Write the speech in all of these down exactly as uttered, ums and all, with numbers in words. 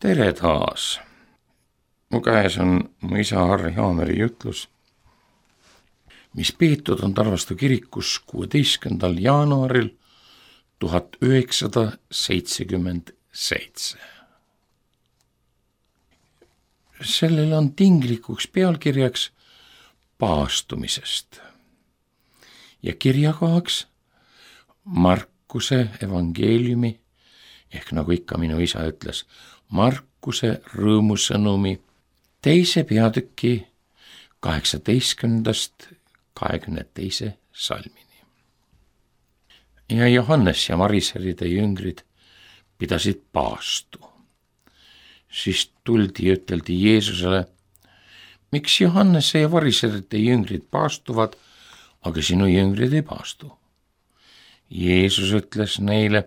tere taas! Mu käes on mu isa Harri Haameri jutlus, mis peetud on Tarvastu kirikus kuueteistkümnendal jaanuaril tuhat üheksasada seitsekümmend seitse. Sellel on tinglikuks pealkirjaks paastumisest ja kirjakohaks Markuse evangeeliumi ehk nagu ikka minu isa ütles, Markuse rõõmusõnumi teise peatüki kaheksateistkümnendast kahekümne teise salmini. Ja Johannes ja Mariseride jüngrid pidasid paastu. Siis tuldi ja üteldi Jeesusele, miks Johannese ja Mariseride jüngrid paastuvad, aga sinu jüngrid ei paastu. Jeesus ütles neile,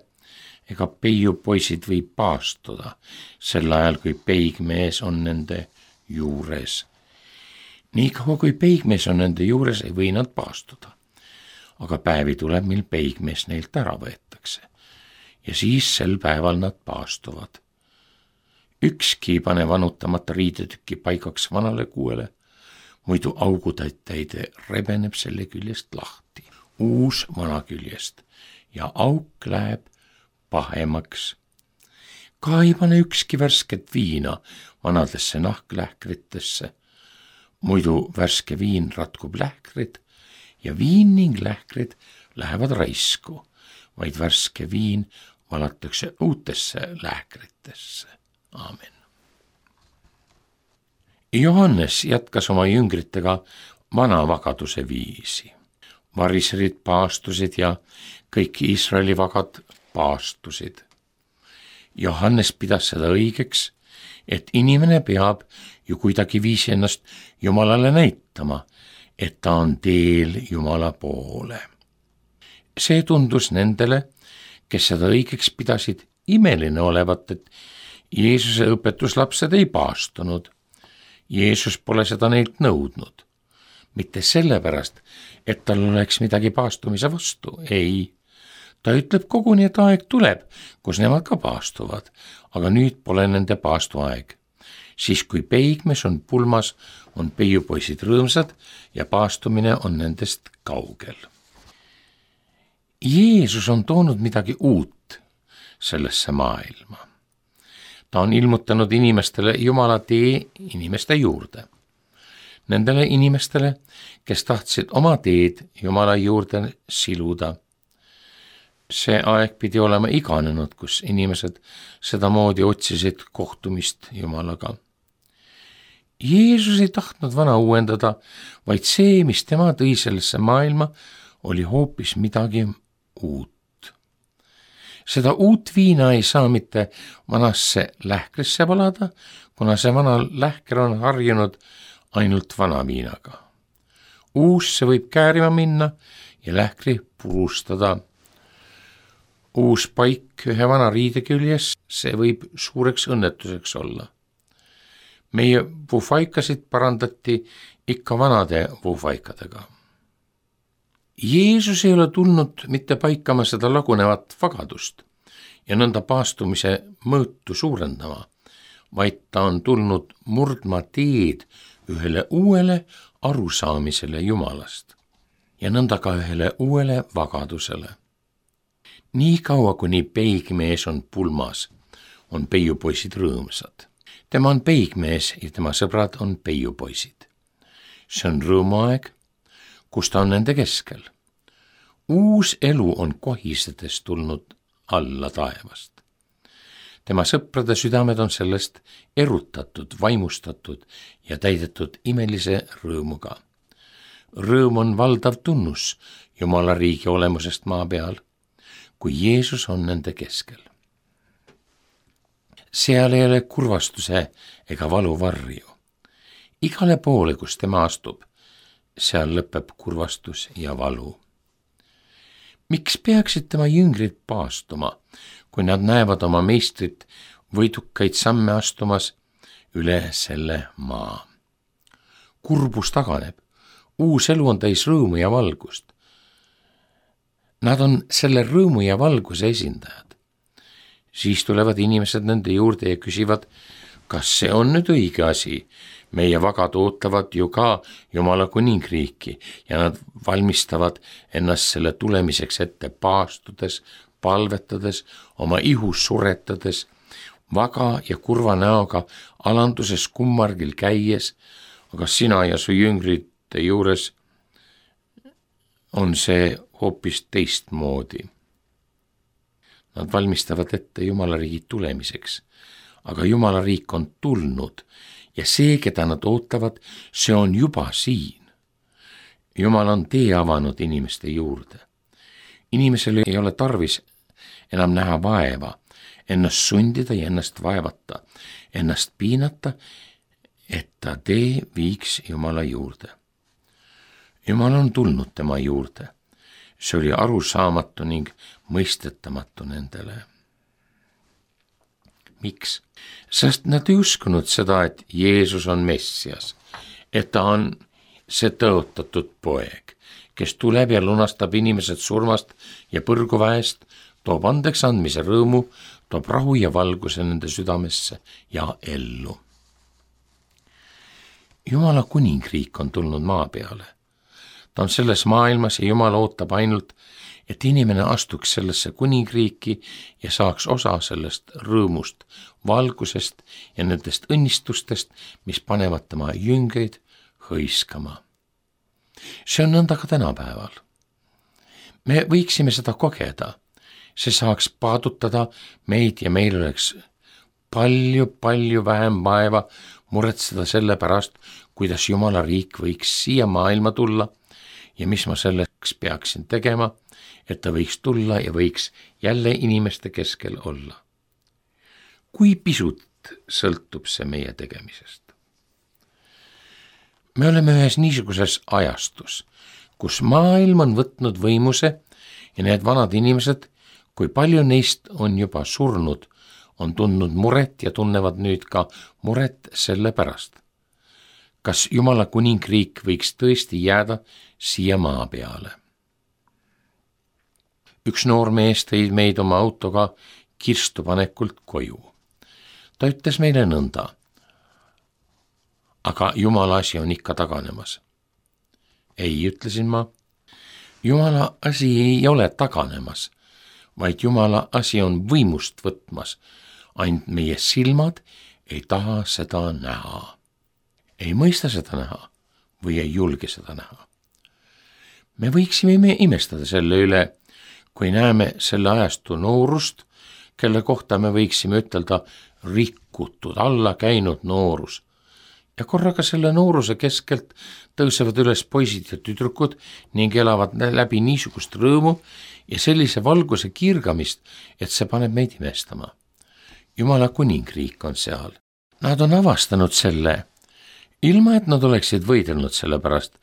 ega peiupoisid võib paastuda sel ajal, kui peigmees on nende juures. Nii kaua, kui peigmees on nende juures, ei või nad paastuda. Aga päevi tuleb, mil peigmees neilt ära võetakse. Ja siis sel päeval nad paastuvad. Ükski ei pane vanutamata riidetükki paigaks vanale kuuele, muidu augutäide rebeneb selle küljest lahti, uus vana küljest, ja auk läheb pahemaks. Ka ei pane ükski värsket viina vanadesse nahklähkritesse, muidu värske viin ratkub lähkrid ja viin ning lähkrid lähevad raisku, vaid värske viin valatakse uutesse lähkritesse. Aamen. Johannes jätkas oma jüngritega vana vagaduse viisi. Variserid paastusid ja kõik Iisraeli vagad paastusid. Johannes pidas seda õigeks, et inimene peab ju kuidagi viisi ennast Jumalale näitama, et ta on teel Jumala poole. See tundus nendele, kes seda õigeks pidasid, imeline olevat, et Jeesuse õpetuslapsed ei paastunud. Jeesus pole seda neilt nõudnud. Mitte sellepärast, et tal oleks midagi paastumise vastu, ei. Ta ütleb koguni, et aeg tuleb, kus nemad ka paastuvad, aga nüüd pole nende paastu aeg. Siis kui peigmees on pulmas, on peiupoisid rõõmsad ja paastumine on nendest kaugel. Jeesus on toonud midagi uut sellesse maailma. Ta on ilmutanud inimestele Jumala tee inimeste juurde. Nendele inimestele, kes tahtsid oma teed Jumala juurde siluda. See aeg pidi olema iganenud, kus inimesed sedamoodi otsisid kohtumist Jumalaga. Jeesus ei tahtnud vana uuendada, vaid see, mis tema tõi sellesse maailma, oli hoopis midagi uut. Seda uut viina ei saa mitte vanasse lähkrisse valada, kuna see vana lähker on harjunud ainult vana viinaga. Uusse võib käärima minna ja lähkri purustada. Uus paik ühe vana riide küljes, see võib suureks õnnetuseks olla. Meie vuufaikasid parandati ikka vanade vuufaikadega. Jeesus ei ole tulnud mitte paikama seda lagunevat vagadust ja nõnda paastumise mõõtu suurendama, vaid ta on tulnud murdma teed ühele uuele arusaamisele Jumalast ja nõnda ka ühele uuele vagadusele. Nii kaua, kuni peigmees on pulmas, on peiupoisid rõõmsad. Tema on peigmees ja tema sõbrad on peiupoisid. See on rõõmuaeg, kus ta on nende keskel. Uus elu on kohisedes tulnud alla taevast. Tema sõprade südamed on sellest erutatud, vaimustatud ja täidetud imelise rõõmuga. Rõõm on valdav tunnus Jumala riigi olemusest maa peal, kui Jeesus on nende keskel. Seal ei ole kurvastuse ega valu varju. Igale poole, kus tema astub, seal lõpeb kurvastus ja valu. Miks peaksid tema jüngrid paastuma, kui nad näevad oma meistrit võidukaid samme astumas üle selle maa? Kurbus taganeb, uus elu on täis rõõmu ja valgust. Nad on selle rõõmu ja valguse esindajad. siis tulevad inimesed nende juurde ja küsivad, kas see on nüüd õige asi. Meie vagad ootavad ju ka Jumala kuningriiki ja nad valmistavad ennast selle tulemiseks ette paastudes, palvetades, oma ihus suretades, vaga ja kurva näoga alanduses kummargil käies, aga sina ja su jüngrite juures on see hoopis teistmoodi. Nad valmistavad ette Jumala riigi tulemiseks, aga Jumala riik on tulnud ja see, keda nad ootavad, see on juba siin. Jumal on tee avanud inimeste juurde. Inimesel ei ole tarvis enam näha vaeva, ennast sundida ja ennast vaevata, ennast piinata, et ta tee viiks Jumala juurde. Jumal on tulnud tema juurde. See oli arusaamatu ning mõistetamatu nendele. Miks? Sest nad ei uskunud seda, et Jeesus on Messias, et ta on see tõotatud poeg, kes tuleb ja lunastab inimesed surmast ja põrguväest, toob andeks andmise rõõmu, toob rahu ja valguse nende südamesse ja ellu. Jumala kuningriik on tulnud maa peale. Ta on selles maailmas ja Jumal ootab ainult, et inimene astuks sellesse kuningriiki ja saaks osa sellest rõõmust, valgusest ja nendest õnnistustest, mis panevad tema jüngeid hõiskama. See on nõnda ka tänapäeval. Me võiksime seda kogeda. See saaks paadutada meid ja meil oleks palju-palju vähem vaeva muretseda selle pärast, kuidas Jumala riik võiks siia maailma tulla ja mis ma selleks peaksin tegema, et ta võiks tulla ja võiks jälle inimeste keskel olla. Kui pisut sõltub see meie tegemisest? Me oleme ühes niisuguses ajastus, kus maailm on võtnud võimuse ja need vanad inimesed, kui palju neist on juba surnud, on tundnud muret ja tunnevad nüüd ka muret selle pärast. Kas Jumala kuningriik võiks tõesti jääda siia maa peale? Üks noor mees tõi meid oma autoga kirstupanekult koju. Ta ütles meile nõnda, aga Jumala asi on ikka taganemas. Ei, ütlesin ma, Jumala asi ei ole taganemas, vaid Jumala asi on võimust võtmas, ainult meie silmad ei taha seda näha. Ei mõista seda näha või ei julge seda näha. Me võiksime me imestada selle üle, kui näeme selle ajastu noorust, kelle kohta me võiksime ütelda rikutud, alla käinud noorus. Ja korraga selle nooruse keskelt tõusevad üles poisid ja tüdrukud ning elavad läbi niisugust rõõmu ja sellise valguse kirgamist, et see paneb meid imestama. Jumala kuningriik on seal. Nad on avastanud selle, ilma et nad oleksid võidelnud selle pärast,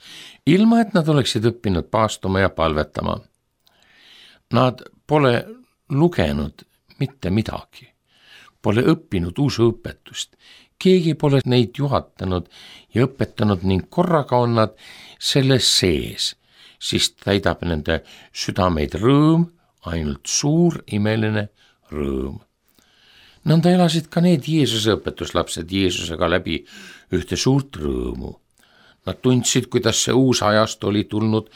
ilma et nad oleksid õppinud paastuma ja palvetama. Nad pole lugenud mitte midagi, pole õppinud usuõpetust, keegi pole neid juhatanud ja õpetanud ning korraga on nad selles sees, siis täidab nende südameid rõõm, ainult suur imeline rõõm. Nõnda elasid ka need Jeesuse õpetuslapsed Jeesusega läbi ühte suurt rõõmu. Nad tundsid, kuidas see uus ajast oli tulnud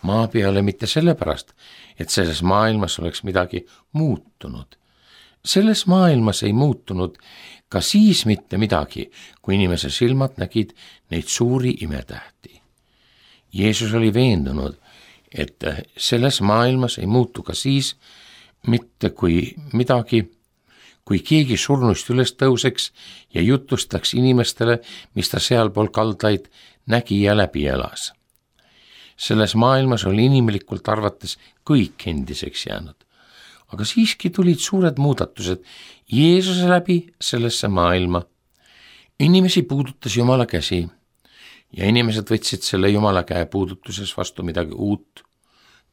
maa peale mitte sellepärast, et selles maailmas oleks midagi muutunud. Selles maailmas ei muutunud ka siis mitte midagi, kui inimese silmad nägid neid suuri imetähti. Jeesus oli veendunud, et selles maailmas ei muutu ka siis mitte kui midagi, kui keegi surnuist üles tõuseks ja jutustaks inimestele, mis ta sealpool kaldaid nägi ja läbi elas. Selles maailmas oli inimlikult arvates kõik endiseks jäänud, aga siiski tulid suured muudatused Jeesuse läbi sellesse maailma. Inimesi puudutas Jumala käsi ja inimesed võtsid selle Jumala käe puudutuses vastu midagi uut,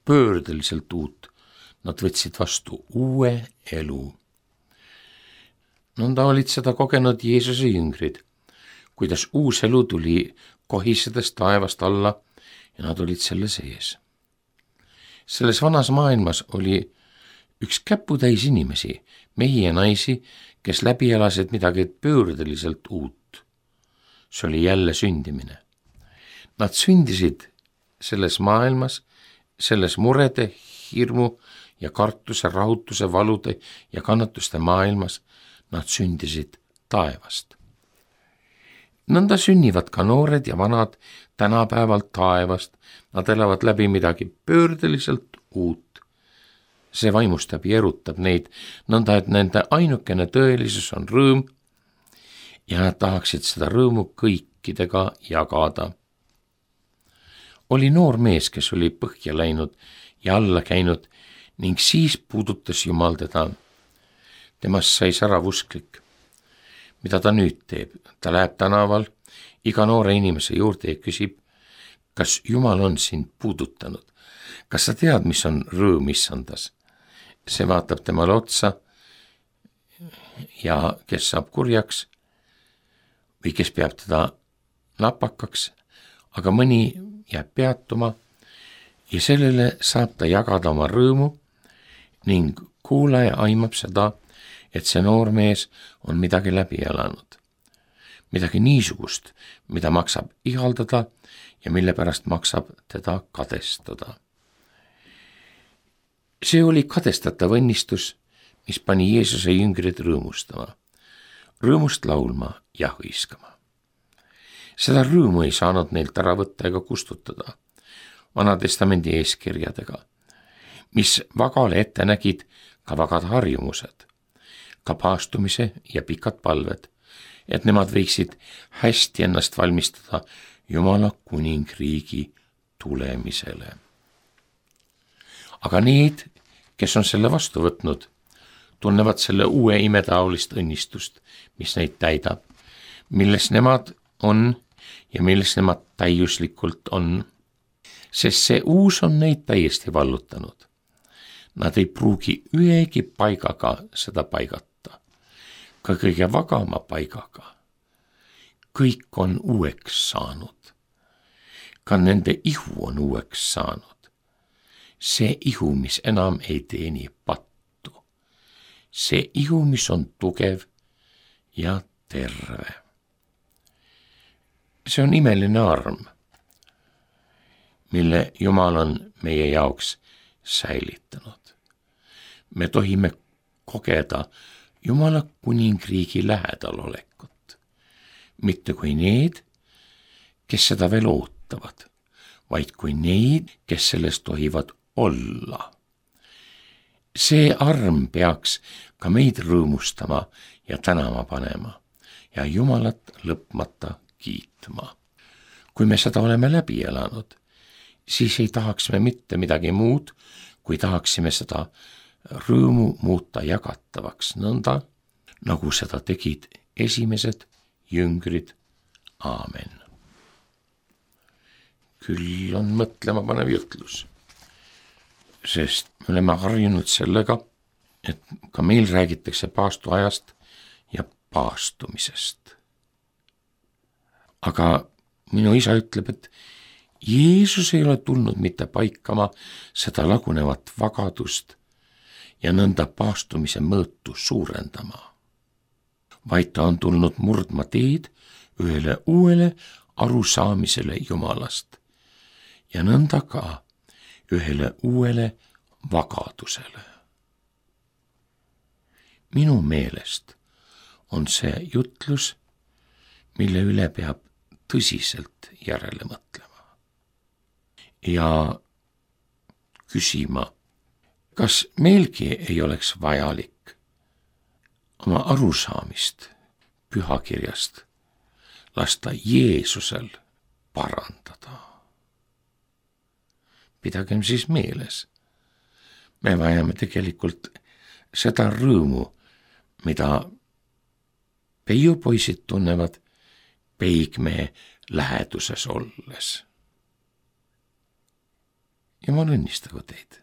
pöördeliselt uut. Nad võtsid vastu uue elu. Nõnda olid seda kogenud Jeesuse jüngrid, kuidas uus elu tuli kohisedes taevast alla ja nad olid selle sees. Selles vanas maailmas oli üks käputäis inimesi, mehi ja naisi, kes läbi elasid midagi pöördeliselt uut. See oli jälle sündimine. Nad sündisid selles maailmas, selles murede, hirmu ja kartuse, rahutuse, valude ja kannatuste maailmas. Nad sündisid taevast. Nõnda sünnivad ka noored ja vanad tänapäeval taevast. Nad elavad läbi midagi pöördeliselt uut. See vaimustab ja erutab neid, nõnda et nende ainukene tõelisus on rõõm ja nad tahaksid seda rõõmu kõikidega jagada. Oli noor mees, kes oli põhja läinud ja alla käinud ning siis puudutas Jumal teda. Temast sai särav usklik. Mida ta nüüd teeb? Ta läheb tänaval iga noore inimese juurde ja küsib, kas Jumal on sind puudutanud? Kas sa tead, mis on rõõm issandas? See vaatab temale otsa ja kes saab kurjaks või kes peab teda napakaks, aga mõni jääb peatuma ja sellele saab ta jagada oma rõõmu ning kuulaja aimab seda, et see noormees on midagi läbi elanud. Midagi niisugust, mida maksab ihaldada ja mille pärast maksab teda kadestada. See oli kadestatav õnnistus, mis pani Jeesuse jüngrid rõõmustama, rõõmust laulma ja hõiskama. Seda rõõmu ei saanud neilt ära võtta ega kustutada Vana Testamendi eeskirjadega, mis vagale ette nägid ka vagad harjumused, ka paastumise ja pikad palved, et nemad võiksid hästi ennast valmistada Jumala kuningriigi tulemisele. Aga need, kes on selle vastu võtnud, tunnevad selle uue imetaolist õnnistust, mis neid täidab, milles nemad on ja milles nemad täiuslikult on, sest see uus on neid täiesti vallutanud. Nad ei pruugi ühegi paigaga seda paigata, ka kõige vagama paigaga. Kõik on uueks saanud, ka nende ihu on uueks saanud. See ihu, mis enam ei teeni pattu. See ihu, mis on tugev ja terve. See on imeline arm, mille Jumal on meie jaoks säilitanud. Me tohime kogeda Jumala kuningriigi lähedalolekut, mitte kui need, kes seda veel ootavad, vaid kui neid, kes sellest tohivad olla. See arm peaks ka meid rõõmustama ja tänama panema ja Jumalat lõpmata kiitma. Kui me seda oleme läbi elanud, siis ei tahaks me mitte midagi muud, kui tahaksime seda rõõmu muuta jagatavaks nõnda, nagu seda tegid esimesed jüngrid. Aamen. Küll on mõtlema panev jutlus, sest me oleme harjunud sellega, et ka meil räägitakse paastuajast ja paastumisest. Aga minu isa ütleb, et Jeesus ei ole tulnud mitte paikama seda lagunevat vagadust ja nõnda paastumise mõõtu suurendama, vaid ta on tulnud murdma teed ühele uuele arusaamisele Jumalast ja nõnda ka ühele uuele vagadusele. Minu meelest on see jutlus, mille üle peab tõsiselt järele mõtlema ja küsima, kas meilgi ei oleks vajalik oma arusaamist pühakirjast lasta Jeesusel parandada. Pidagem siis meeles, me vajame tegelikult seda rõõmu, mida peiupoisid tunnevad peigmehe läheduses olles. Jumal õnnistagu teid.